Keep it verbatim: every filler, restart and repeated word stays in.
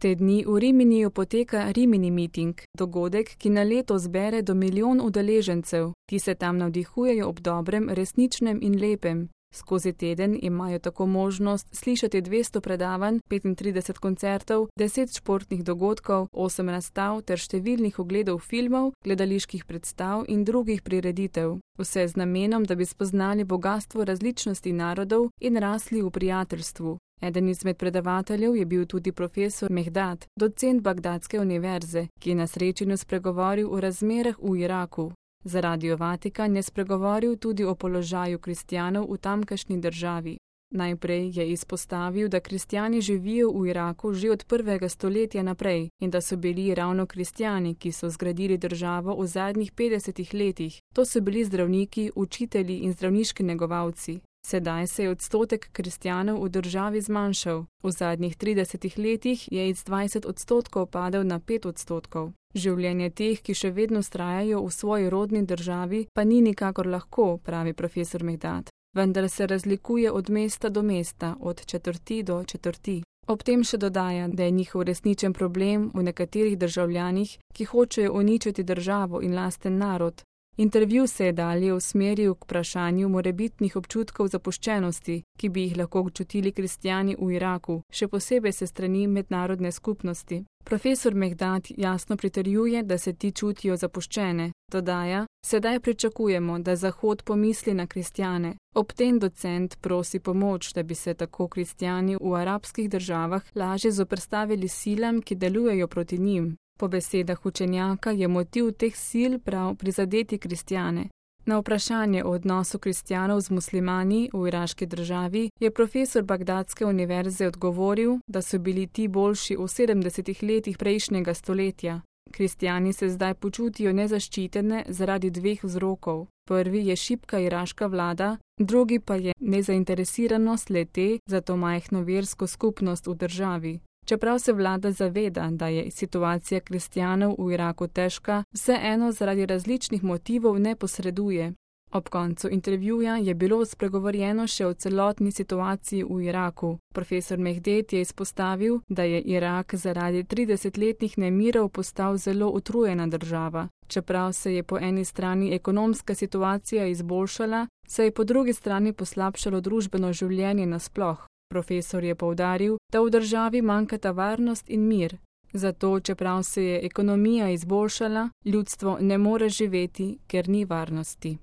Te dni v Riminiju poteka Rimini miting, dogodek, ki na leto zbere do milijon udeležencev, ki se tam navdihujejo ob dobrem, resničnem in lepem. Skozi teden imajo tako možnost slišati dvesto predavanj, petintrideset koncertov, deset športnih dogodkov, osem razstav ter številnih ogledov filmov, gledaliških predstav in drugih prireditev. Vse z namenom, da bi spoznali bogastvo različnosti narodov in rasli v prijateljstvu. Eden izmed predavateljev je bil tudi profesor Mehdat, docent Bagdadske univerze, ki je na srečanju spregovoril o razmerah v Iraku. Za Radio Vatikan je spregovoril tudi o položaju kristjanov v tamkajšnji državi. Najprej je izpostavil, da kristjani živijo v Iraku že od prvega stoletja naprej in da so bili ravno kristjani, ki so zgradili državo v zadnjih petdesetih letih. To so bili zdravniki, učitelji in zdravniški negovalci. Sedaj se je odstotek kristjanov v državi zmanjšal. V zadnjih tridesetih letih je iz dvajset odstotkov padel na pet odstotkov. Življenje teh, ki še vedno vztrajajo v svoji rodni državi, pa ni nikakor lahko, pravi profesor Mehdat. Vendar se razlikuje od mesta do mesta, od četrti do četrti. Ob tem še dodaja, da je njihov resničen problem v nekaterih državljanih, ki hočejo uničiti državo in lasten narod. Intervju se je dalje usmeril k vprašanju morebitnih občutkov zapuščenosti, ki bi jih lahko občutili kristjani v Iraku, še posebej se strani mednarodne skupnosti. Profesor Mehdat jasno pritrjuje, da se ti čutijo zapuščene. Dodaja, sedaj pričakujemo, da Zahod pomisli na kristjane. Ob tem docent prosi pomoč, da bi se tako kristjani v arabskih državah lažje zoperstavili silam, ki delujejo proti njim. Po besedah učenjaka je motiv teh sil prav prizadeti kristjane. Na vprašanje o odnosu kristjanov z muslimani v iraški državi je profesor Bagdadske univerze odgovoril, da so bili ti boljši v sedemdesetih letih prejšnjega stoletja. Kristjani se zdaj počutijo nezaščitene zaradi dveh vzrokov. Prvi je šibka iraška vlada, drugi pa je nezainteresiranost le-te za to majhno versko skupnost v državi. Čeprav se vlada zaveda, da je situacija kristjanov v Iraku težka, vseeno zaradi različnih motivov ne posreduje. Ob koncu intervjuja je bilo spregovorjeno še o celotni situaciji v Iraku. Profesor Mehdet je izpostavil, da je Irak zaradi tridesetletnih nemirov postal zelo utrujena država. Čeprav se je po eni strani ekonomska situacija izboljšala, se je po drugi strani poslabšalo družbeno življenje nasploh. Profesor je poudaril, da v državi manjkata varnost in mir. Zato, čeprav se je ekonomija izboljšala, ljudstvo ne more živeti, ker ni varnosti.